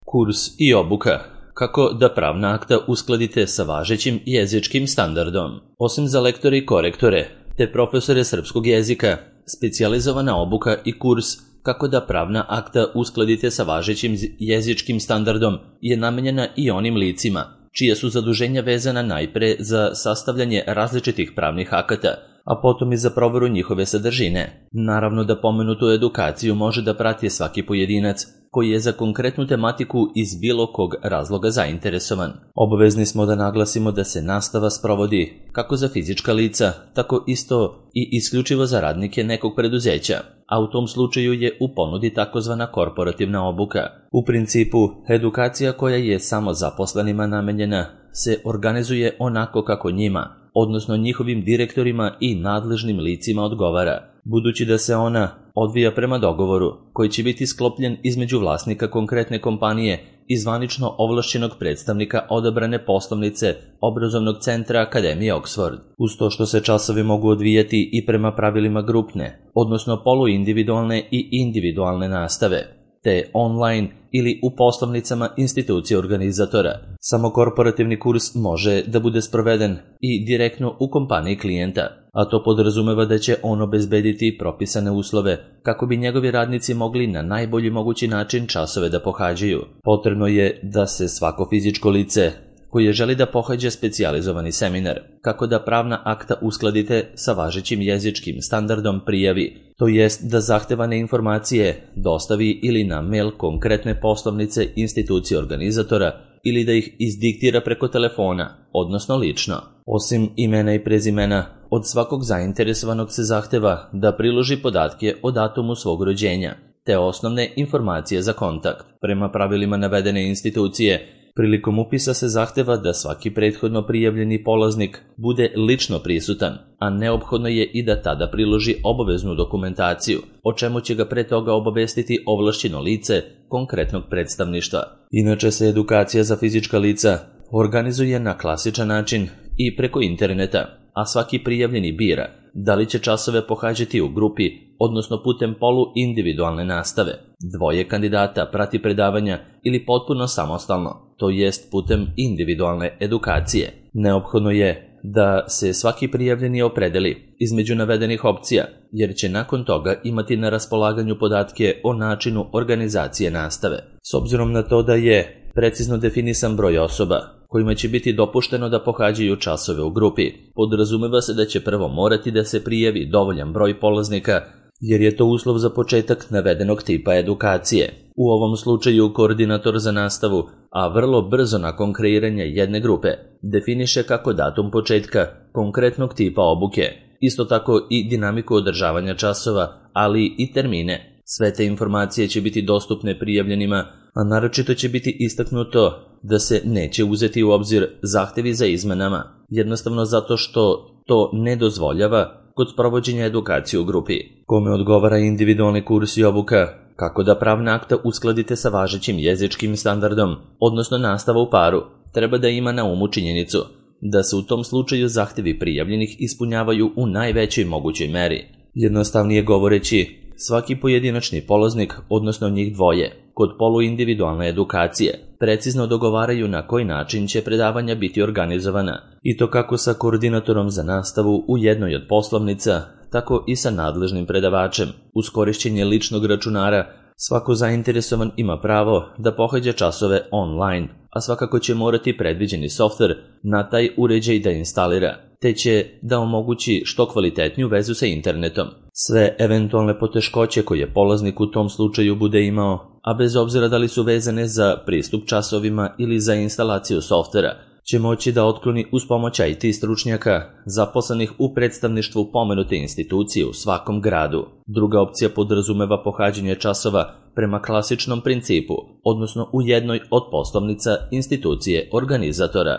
Kurs i obuka. Kako da pravna akta uskladite sa važećim jezičkim standardom. Osim za lektore i korektore, te profesore srpskog jezika, specijalizovana obuka i kurs kako da pravna akta uskladite sa važećim jezičkim standardom je namenjena i onim licima, čije su zaduženja vezana najpre za sastavljanje različitih pravnih akata, a potom i za proveru njihove sadržine. Naravno da pomenutu edukaciju može da prati svaki pojedinac koji je za konkretnu tematiku iz bilo kog razloga zainteresovan. Obavezni smo da naglasimo da se nastava sprovodi kako za fizička lica, tako isto i isključivo za radnike nekog preduzeća, a u tom slučaju je u ponudi takozvana korporativna obuka. U principu, edukacija koja je samo zaposlenima namenjena se organizuje onako kako njima, odnosno njihovim direktorima i nadležnim licima odgovara, budući da se ona odvija prema dogovoru koji će biti sklopljen između vlasnika konkretne kompanije i zvanično ovlašćenog predstavnika odabrane poslovnice obrazovnog centra Akademije Oxford. Uz to što se časovi mogu odvijati i prema pravilima grupne, odnosno poluindividualne i individualne nastave, te online ili u poslovnicama institucije organizatora. Samo korporativni kurs može da bude sproveden i direktno u kompaniji klijenta, a to podrazumeva da će on obezbediti propisane uslove kako bi njegovi radnici mogli na najbolji mogući način časove da pohađaju. Potrebno je da se svako fizičko lice koje želi da pohađa specijalizovani seminar kako da pravna akta uskladite sa važećim jezičkim standardom prijavi, to jest da zahtevane informacije dostavi ili na mail konkretne poslovnice institucije organizatora ili da ih izdiktira preko telefona, odnosno lično. Osim imena i prezimena, od svakog zainteresovanog se zahteva da priloži podatke o datumu svog rođenja, te osnovne informacije za kontakt. Prema pravilima navedene institucije, prilikom upisa se zahteva da svaki prethodno prijavljeni polaznik bude lično prisutan, a neophodno je i da tada priloži obaveznu dokumentaciju, o čemu će ga pre toga obavestiti ovlašćeno lice konkretnog predstavništva. Inače se edukacija za fizička lica organizuje na klasičan način i preko interneta, a svaki prijavljeni bira da li će časove pohađati u grupi, odnosno putem polu-individualne nastave. Dvoje kandidata prati predavanja ili potpuno samostalno, to jest putem individualne edukacije. Neophodno je da se svaki prijavljeni opredeli između navedenih opcija, jer će nakon toga imati na raspolaganju podatke o načinu organizacije nastave. S obzirom na to da je precizno definisan broj osoba kojima će biti dopušteno da pohađaju časove u grupi, podrazumeva se da će prvo morati da se prijavi dovoljan broj polaznika, jer je to uslov za početak navedenog tipa edukacije. U ovom slučaju koordinator za nastavu, a vrlo brzo nakon kreiranja jedne grupe, definiše kako datum početka konkretnog tipa obuke, isto tako i dinamiku održavanja časova, ali i termine. Sve te informacije će biti dostupne prijavljenima, a naročito će biti istaknuto da se neće uzeti u obzir zahtevi za izmenama, jednostavno zato što to ne dozvoljava kod sprovođenja edukacije u grupi. Kome odgovara individualni kurs i obuka, kako da pravna akta uskladite sa važećim jezičkim standardom, odnosno nastava u paru, treba da ima na umu činjenicu da se u tom slučaju zahtevi prijavljenih ispunjavaju u najvećoj mogućoj meri. Jednostavnije govoreći, svaki pojedinačni polaznik, odnosno njih dvoje, kod poluindividualne edukacije, precizno dogovaraju na koji način će predavanja biti organizovana, i to kako sa koordinatorom za nastavu u jednoj od poslovnica, tako i sa nadležnim predavačem. Uz korišćenje ličnog računara, svako zainteresovan ima pravo da pohađa časove online, a svakako će morati predviđeni softver na taj uređaj da instalira, te će da omogući što kvalitetniju vezu sa internetom. Sve eventualne poteškoće koje polaznik u tom slučaju bude imao, a bez obzira da li su vezane za pristup časovima ili za instalaciju softvera, će moći da otkloni uz pomoć IT stručnjaka zaposlenih u predstavništvu pomenute institucije u svakom gradu. Druga opcija podrazumeva pohađanje časova prema klasičnom principu, odnosno u jednoj od poslovnica institucije organizatora.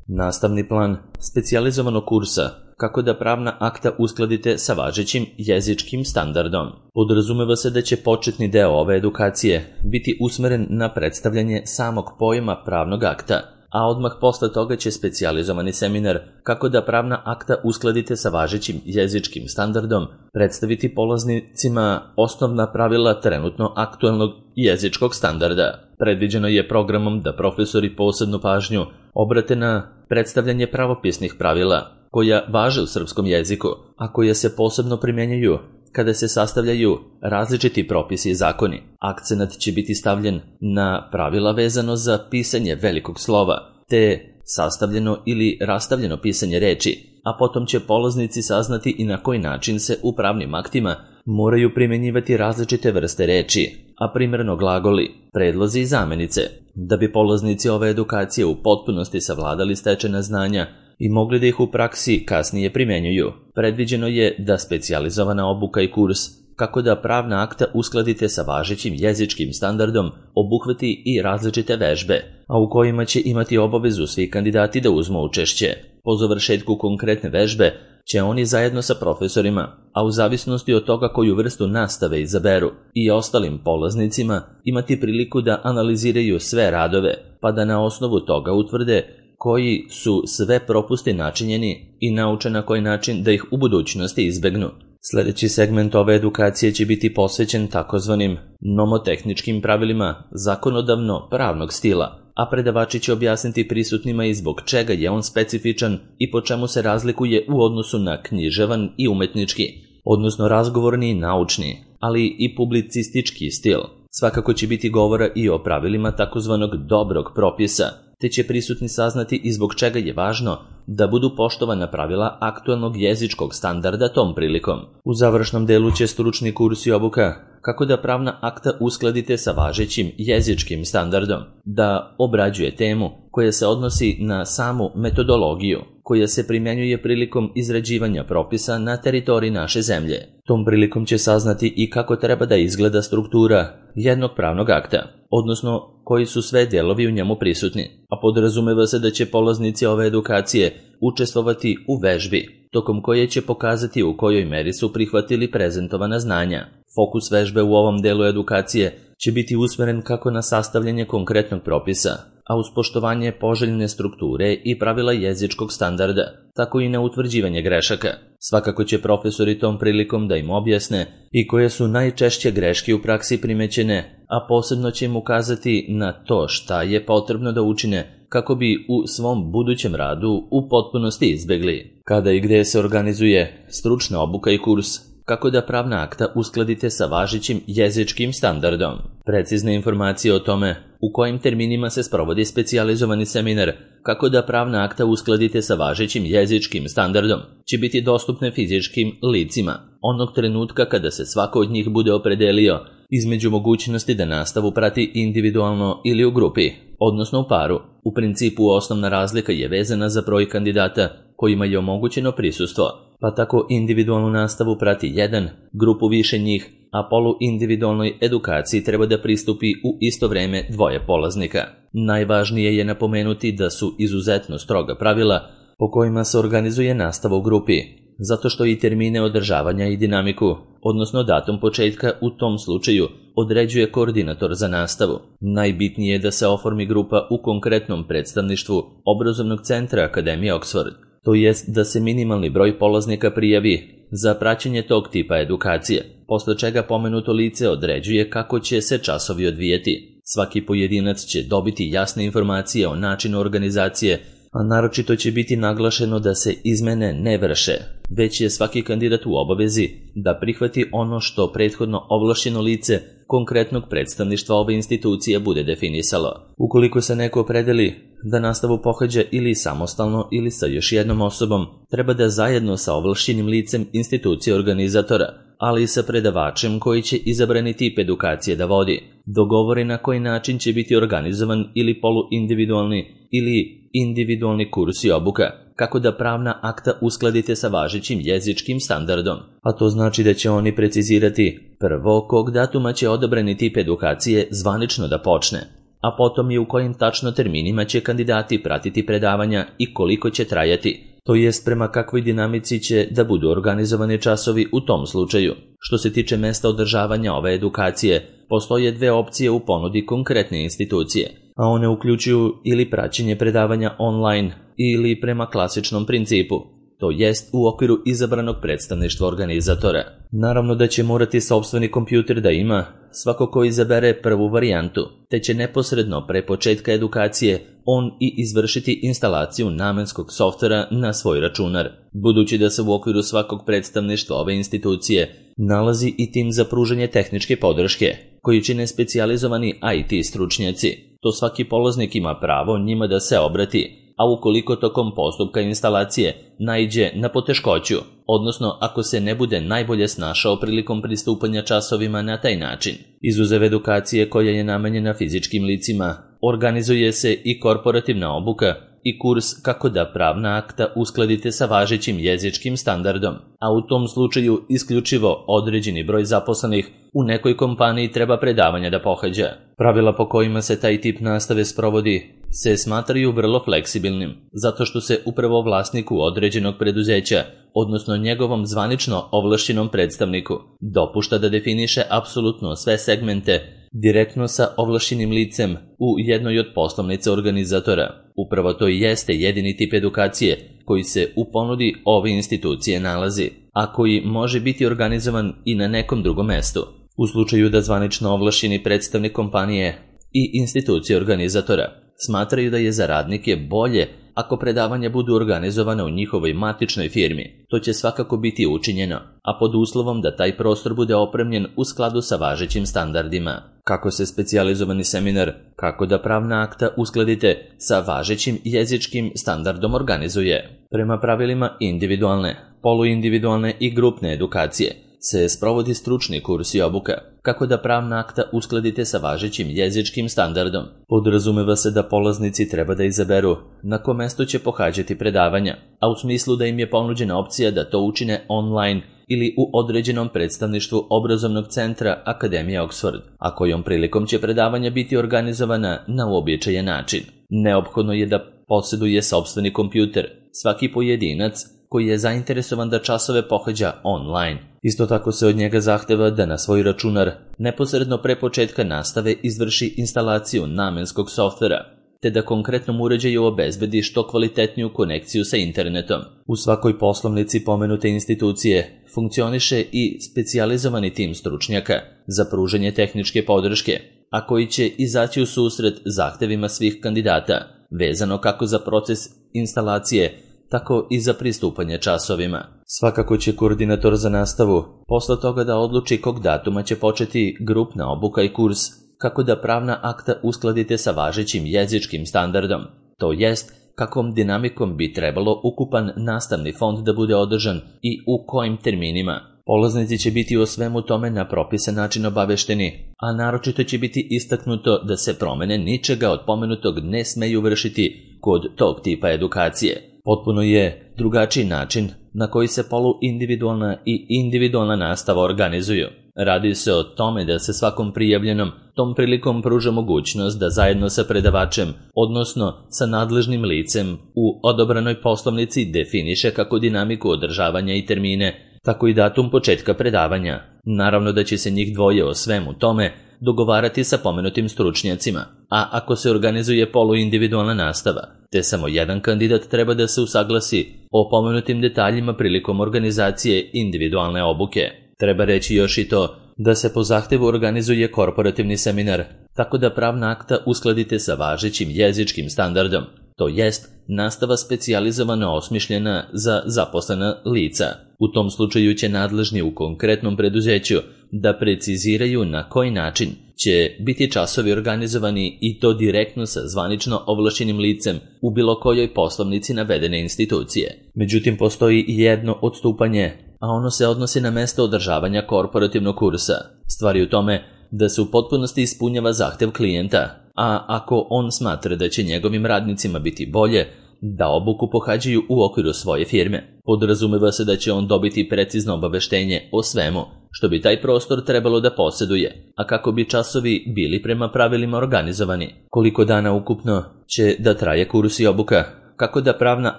Nastavni plan specijalizovanog kursa kako da pravna akta uskladite sa važećim jezičkim standardom. Podrazumeva se da će početni deo ove edukacije biti usmeren na predstavljanje samog pojma pravnog akta, a odmah posle toga će specijalizovani seminar kako da pravna akta uskladite sa važećim jezičkim standardom predstaviti polaznicima osnovna pravila trenutno aktuelnog jezičkog standarda. Predviđeno je programom da profesori posebnu pažnju obrate na predstavljanje pravopisnih pravila koja važe u srpskom jeziku, a koja se posebno primjenjuju kada se sastavljaju različiti propisi i zakoni. Akcenat će biti stavljen na pravila vezano za pisanje velikog slova, te sastavljeno ili rastavljeno pisanje reči, a potom će polaznici saznati i na koji način se u pravnim aktima moraju primjenjivati različite vrste reči, a primerno glagoli, predlozi i zamenice. Da bi polaznici ove edukacije u potpunosti savladali stečena znanja i mogli da ih u praksi kasnije primjenjuju, predviđeno je da specijalizovana obuka i kurs kako da pravna akta uskladite sa važećim jezičkim standardom obuhvati i različite vežbe, a u kojima će imati obavezu svi kandidati da uzmu učešće. Po završetku konkretne vežbe će oni zajedno sa profesorima, a u zavisnosti od toga koju vrstu nastave izaberu, i ostalim polaznicima imati priliku da analiziraju sve radove, pa da na osnovu toga utvrde koji su sve propusti načinjeni i nauče na koji način da ih u budućnosti izbegnu. Sljedeći segment ove edukacije će biti posvećen takozvanim nomotehničkim pravilima zakonodavno-pravnog stila, a predavači će objasniti prisutnima i zbog čega je on specifičan i po čemu se razlikuje u odnosu na književan i umetnički, odnosno razgovorni i naučni, ali i publicistički stil. Svakako će biti govora i o pravilima takozvanog dobrog propisa, te će prisutni saznati i zbog čega je važno da budu poštovana pravila aktualnog jezičkog standarda tom prilikom. U završnom delu će stručni kurs i obuka kako da pravna akta uskladite sa važećim jezičkim standardom, da obrađuje temu koja se odnosi na samu metodologiju koja se primjenjuje prilikom izrađivanja propisa na teritoriji naše zemlje. Tom prilikom će saznati i kako treba da izgleda struktura jednog pravnog akta, odnosno koji su sve delovi u njemu prisutni, a podrazumeva se da će polaznici ove edukacije učestvovati u vežbi, tokom koje će pokazati u kojoj meri su prihvatili prezentovana znanja. Fokus vežbe u ovom delu edukacije će biti usmeren kako na sastavljanje konkretnog propisa, a uz poštovanje poželjne strukture i pravila jezičkog standarda, tako i na utvrđivanje grešaka. Svakako će profesori tom prilikom da im objasne i koje su najčešće greške u praksi primećene, a posebno će im ukazati na to šta je potrebno da učine kako bi u svom budućem radu u potpunosti izbegli. Kada i gde se organizuje stručna obuka i kurs, kako da pravna akta uskladite sa važećim jezičkim standardom. Precizne informacije o tome u kojim terminima se sprovodi specijalizovani seminar kako da pravna akta uskladite sa važećim jezičkim standardom će biti dostupne fizičkim licima onog trenutka kada se svako od njih bude opredelio između mogućnosti da nastavu prati individualno ili u grupi, odnosno u paru. U principu osnovna razlika je vezana za broj kandidata kojima je omogućeno prisustvo, pa tako individualnu nastavu prati jedan, grupu više njih, a poluindividualnoj edukaciji treba da pristupi u isto vreme dvoje polaznika. Najvažnije je napomenuti da su izuzetno stroga pravila po kojima se organizuje nastava u grupi, zato što i termine održavanja i dinamiku, odnosno datum početka u tom slučaju, određuje koordinator za nastavu. Najbitnije je da se oformi grupa u konkretnom predstavništvu obrazovnog centra Akademije Oxford, to jest da se minimalni broj polaznika prijavi za praćenje tog tipa edukacije, posle čega pomenuto lice određuje kako će se časovi odvijeti. Svaki pojedinac će dobiti jasne informacije o načinu organizacije, a naročito će biti naglašeno da se izmene ne vrše, već je svaki kandidat u obavezi da prihvati ono što prethodno ovlašćeno lice konkretnog predstavništva ove institucije bude definisalo. Ukoliko se neko opredeli da nastavu pohađa ili samostalno ili sa još jednom osobom, treba da zajedno sa ovlašćenim licem institucije organizatora, ali i sa predavačem koji će izabrani tip edukacije da vodi, dogovori na koji način će biti organizovan ili poluindividualni ili individualni kurs i obuka, kako da pravna akta uskladite sa važećim jezičkim standardom, a to znači da će oni precizirati prvo kog datuma će odabrani tip edukacije zvanično da počne, a potom i u kojim tačno terminima će kandidati pratiti predavanja i koliko će trajati, to jest prema kakvoj dinamici će da budu organizovani časovi u tom slučaju. Što se tiče mesta održavanja ove edukacije, postoje dve opcije u ponudi konkretne institucije, a one uključuju ili praćenje predavanja online ili prema klasičnom principu, to jest u okviru izabranog predstavništva organizatora. Naravno da će morati sopstveni kompjuter da ima svako ko izabere prvu varijantu, te će neposredno pre početka edukacije on i izvršiti instalaciju namenskog softvera na svoj računar. Budući da se u okviru svakog predstavništva ove institucije nalazi i tim za pružanje tehničke podrške, koji čine specijalizovani IT stručnjaci, to svaki polaznik ima pravo njima da se obrati, a ukoliko tokom postupka instalacije naiđe na poteškoću, odnosno ako se ne bude najbolje snašao prilikom pristupanja časovima na taj način. Izuzev edukacije koja je namenjena fizičkim licima, organizuje se i korporativna obuka i kurs kako da pravna akta uskladite sa važećim jezičkim standardom, a u tom slučaju isključivo određeni broj zaposlenih u nekoj kompaniji treba predavanja da pohađa. Pravila po kojima se taj tip nastave sprovodi se smatraju vrlo fleksibilnim, zato što se upravo vlasniku određenog preduzeća, odnosno njegovom zvanično ovlašćenom predstavniku, dopušta da definiše apsolutno sve segmente direktno sa ovlašćenim licem u jednoj od poslovnica organizatora. Upravo to i jeste jedini tip edukacije koji se u ponudi ove institucije nalazi, a koji može biti organizovan i na nekom drugom mestu. U slučaju da zvanično ovlašćeni predstavnik kompanije i institucije organizatora smatraju da je za radnike bolje ako predavanja budu organizovane u njihovoj matičnoj firmi, to će svakako biti učinjeno, a pod uslovom da taj prostor bude opremljen u skladu sa važećim standardima. Kako se specijalizovani seminar kako da pravna akta uskladite sa važećim jezičkim standardom organizuje? Prema pravilima individualne, poluindividualne i grupne edukacije se sprovodi stručni kurs i obuka kako da pravna akta uskladite sa važećim jezičkim standardom. Podrazumeva se da polaznici treba da izaberu na kom mestu će pohađati predavanja, a u smislu da im je ponuđena opcija da to učine online ili u određenom predstavništvu obrazovnog centra Akademije Oxford, a kojom prilikom će predavanja biti organizovana na uobičajen način. Neophodno je da posjeduje sopstveni kompjuter, svaki pojedinac koji je zainteresovan da časove pohađa online. Isto tako se od njega zahteva da na svoj računar neposredno pre početka nastave izvrši instalaciju namenskog softvera, te da konkretnom uređaju obezbedi što kvalitetniju konekciju sa internetom. U svakoj poslovnici pomenute institucije funkcioniše i specijalizovani tim stručnjaka za pružanje tehničke podrške, a koji će izaći u susret zahtevima svih kandidata, vezano kako za proces instalacije, tako i za pristupanje časovima. Svakako će koordinator za nastavu posle toga da odluči kog datuma će početi grupna obuka i kurs kako da pravna akta uskladite sa važećim jezičkim standardom, to jest kakvom dinamikom bi trebalo ukupan nastavni fond da bude održan i u kojim terminima. Polaznici će biti o svemu tome na propisan način obavešteni, a naročito će biti istaknuto da se promene ničega od pomenutog ne smeju vršiti kod tog tipa edukacije. Potpuno je drugačiji način na koji se poluindividualna i individualna nastava organizuju. Radi se o tome da se svakom prijavljenom tom prilikom pruža mogućnost da zajedno sa predavačem, odnosno sa nadležnim licem u odobranoj poslovnici definiše kako dinamiku održavanja i termine, tako i datum početka predavanja. Naravno da će se njih dvoje o svemu tome dogovarati sa pomenutim stručnjacima, a ako se organizuje poluindividualna nastava, te samo jedan kandidat treba da se usaglasi o pomenutim detaljima prilikom organizacije individualne obuke. Treba reći još i to da se po zahtevu organizuje korporativni seminar, tako da pravna akta uskladite sa važećim jezičkim standardom, to jest nastava specijalizovano osmišljena za zaposlena lica. U tom slučaju će nadležni u konkretnom preduzeću da preciziraju na koji način će biti časovi organizovani i to direktno sa zvanično ovlašćenim licem u bilo kojoj poslovnici navedene institucije. Međutim, postoji i jedno odstupanje, a ono se odnosi na mesto održavanja korporativnog kursa. Stvar je u tome da se u potpunosti ispunjava zahtev klijenta, a ako on smatra da će njegovim radnicima biti bolje da obuku pohađaju u okviru svoje firme, podrazumeva se da će on dobiti precizno obaveštenje o svemu što bi taj prostor trebalo da posjeduje, a kako bi časovi bili prema pravilima organizovani. Koliko dana ukupno će da traje kurs i obuka, kako da pravna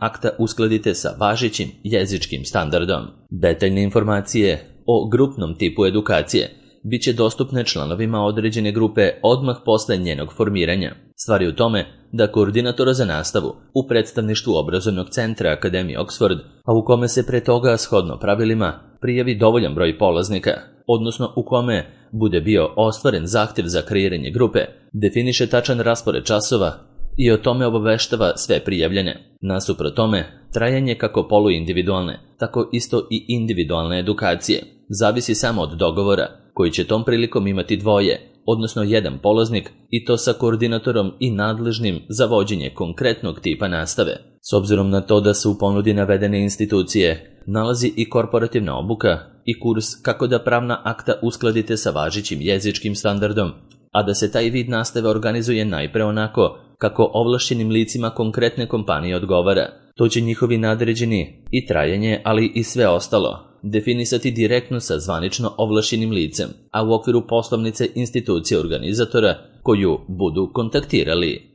akta uskladite sa važećim jezičkim standardom. Detaljne informacije o grupnom tipu edukacije bit će dostupne članovima određene grupe odmah posle njenog formiranja. Stvar je u tome da koordinatora za nastavu u predstavništvu obrazovnog centra Akademije Oxford, a u kome se pre toga shodno pravilima prijavi dovoljan broj polaznika, odnosno u kome bude bio ostvaren zahtjev za kreiranje grupe, definiše tačan raspored časova i o tome obaveštava sve prijavljene. Nasuprot tome, trajanje kako poluindividualne, tako isto i individualne edukacije zavisi samo od dogovora koji će tom prilikom imati dvoje, odnosno jedan polaznik, i to sa koordinatorom i nadležnim za vođenje konkretnog tipa nastave. S obzirom na to da se u ponudi navedene institucije nalazi i korporativna obuka i kurs kako da pravna akta uskladite sa važećim jezičkim standardom, a da se taj vid nastave organizuje najpre onako kako ovlašćenim licima konkretne kompanije odgovara, to će njihovi nadređeni i trajanje, ali i sve ostalo definisati direktno sa zvanično ovlašćenim licem, a u okviru poslovnice institucije organizatora koju budu kontaktirali.